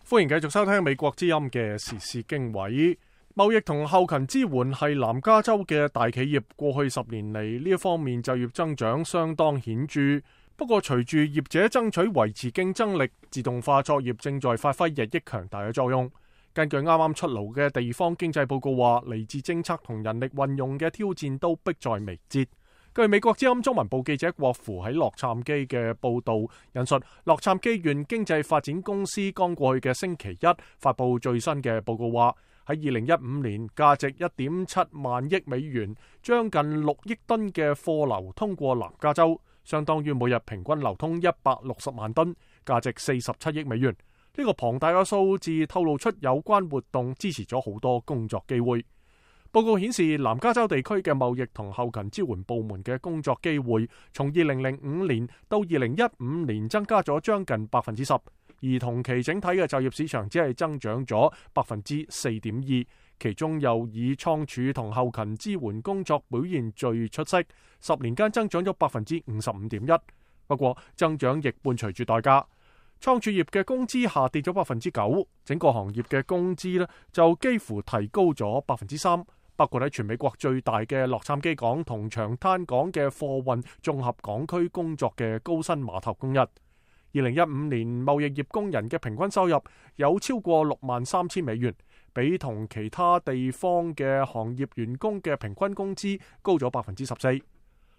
歡迎繼續收聽美國之音嘅時事經緯。貿易同後勤支援係南加州嘅大企業，過去10年嚟呢一方面就業增長相當顯著。不過隨住業者爭取維持競爭力，自動化作業正在發揮日益強大嘅作用。根據啱啱出爐嘅地方經濟報告話，嚟自政策同人力運用嘅挑戰都迫在眉睫。據美國之音中文部記者郭芙喺洛杉磯嘅報導引述，洛杉磯縣經濟發展公司剛過去嘅星期一發布最新嘅報告話，喺2015年價值1.7萬億美元、將近6億噸嘅貨流通過南加州，相當於每日平均流通160萬噸，價值47億美元。呢個龐大嘅數字透露出有關活動支持咗好多工作機會。報告顯示，南加州地區嘅貿易同後勤支援部門嘅工作機會，從2005年到2015年增加咗將近10%，而同期整體嘅就業市場只係增長咗4.2%，其中又以倉儲同後勤支援工作表現最出色，10年間增長咗55.1%。不過增長亦伴隨住代價，倉儲業嘅工資下跌咗9%，整個行業嘅工資呢就幾乎提高咗3%。包括喺全美國最大嘅洛杉磯港同長灘港嘅貨運綜合港區工作嘅高薪碼頭工人，2015年貿易業工人嘅平均收入有超過63,000美元，比同其他地方嘅行業員工嘅平均工資高咗14%。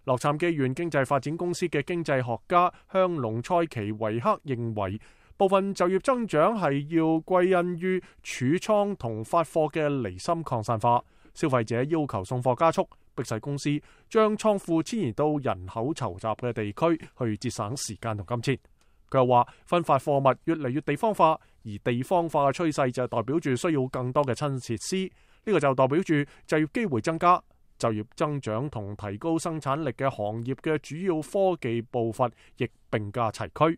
洛杉磯縣經濟發展公司嘅經濟學家香龍塞奇維克認為，部分就業增長係要歸因於儲倉同發貨嘅離心擴散化。消費者要求送貨加速，迫使公司將倉庫遷移到人口稠集嘅地區，去節省時間同金錢。佢又話，分發貨物越嚟越地方化，而地方化嘅趨勢就代表住需要更多嘅新設施。呢個就代表住就業機會增加、就業增長同提高生產力嘅行業嘅主要科技步伐亦並駕齊驅。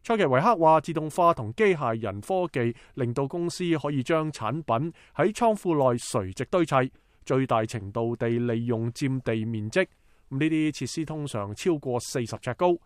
塞奇維克話，自動化同機械人科技令到公司可以將產品喺倉庫內垂直堆砌，最大程度地利用佔地面積。呢啲設施通常超過40尺高，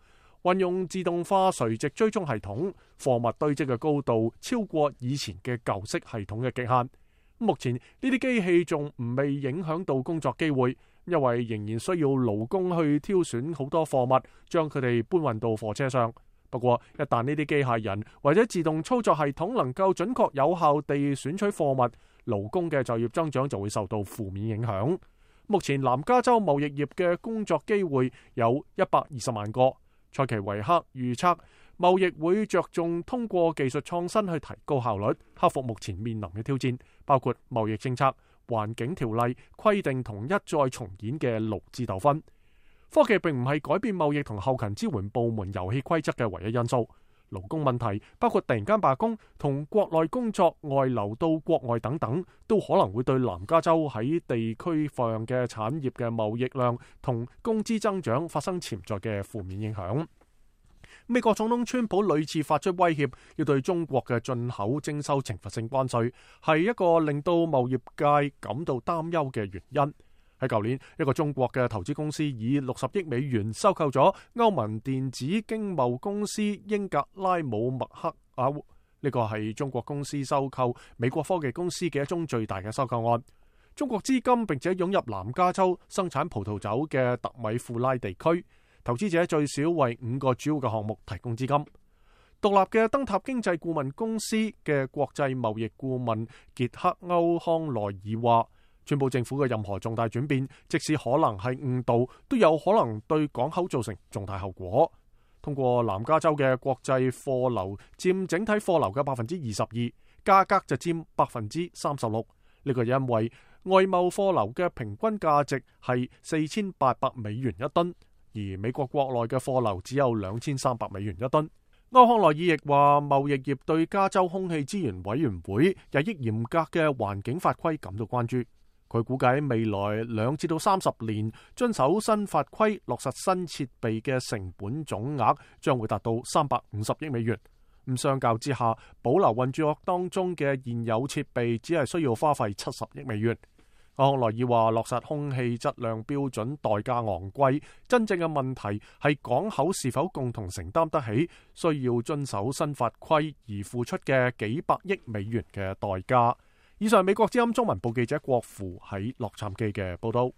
運用自動化垂直追蹤系統，貨物堆積嘅高度超過以前嘅舊式系統嘅極限。目前呢啲機器仲未影響到工作機會，因為仍然需要勞工去挑選好多貨物，將佢哋搬運到貨車上。不過，一旦呢啲機械人或者自動操作系統能夠準確有效地選取貨物，勞工嘅就業增長就會受到負面影響。目前南加州貿易業嘅工作機會有120萬個。塞奇維克預測，貿易會着重通過技術創新去提高效率，克服目前面臨嘅挑戰，包括貿易政策、環境條例、規定同一再重演嘅勞資糾紛。科技並唔係改變貿易同後勤支援部門遊戲規則嘅唯一因素。勞工問題包括突然間罷工同國內工作外流到國外等等，都可能會對南加州喺地區上嘅產業嘅貿易量同工資增長發生潛在嘅負面影響。美國總統川普屢次發出威脅，要對中國嘅進口徵收懲罰性關稅，係一個令到貿易界感到擔憂嘅原因。喺舊年，一個中國嘅投資公司以60億美元收購咗歐盟電子經貿公司英格拉姆默克爾。呢個係中國公司收購美國科技公司嘅一宗最大嘅收購案。中國資金並且湧入南加州生產葡萄酒嘅特米富拉地區，投資者最少為5個主要嘅項目提供資金。獨立嘅燈塔經濟顧問公司嘅國際貿易顧問傑克歐康內爾話，川普政府嘅任何重大轉變，即使可能係誤導，都有可能對港口造成重大後果。通過南加州嘅國際貨流佔整體貨流嘅22%，價格就佔36%。呢個因為外貿貨流嘅平均價值係4800美元一噸，而美國國內嘅貨流只有2300美元一噸。歐康內爾亦話，貿易業對加州空氣資源委員會日益嚴格嘅環境法規感到關注。佢估計未來2至30年遵守新法規、落實新設備嘅成本總額將會達到350億美元。咁相較之下，保留運作當中嘅現有設備只係需要花費70億美元。康萊爾話，落實空氣質量標準代價昂貴，真正嘅問題係港口是否共同承擔得起需要遵守新法規而付出嘅幾百億美元嘅代價。以上美國之音中文部記者郭芙喺洛杉磯嘅報道。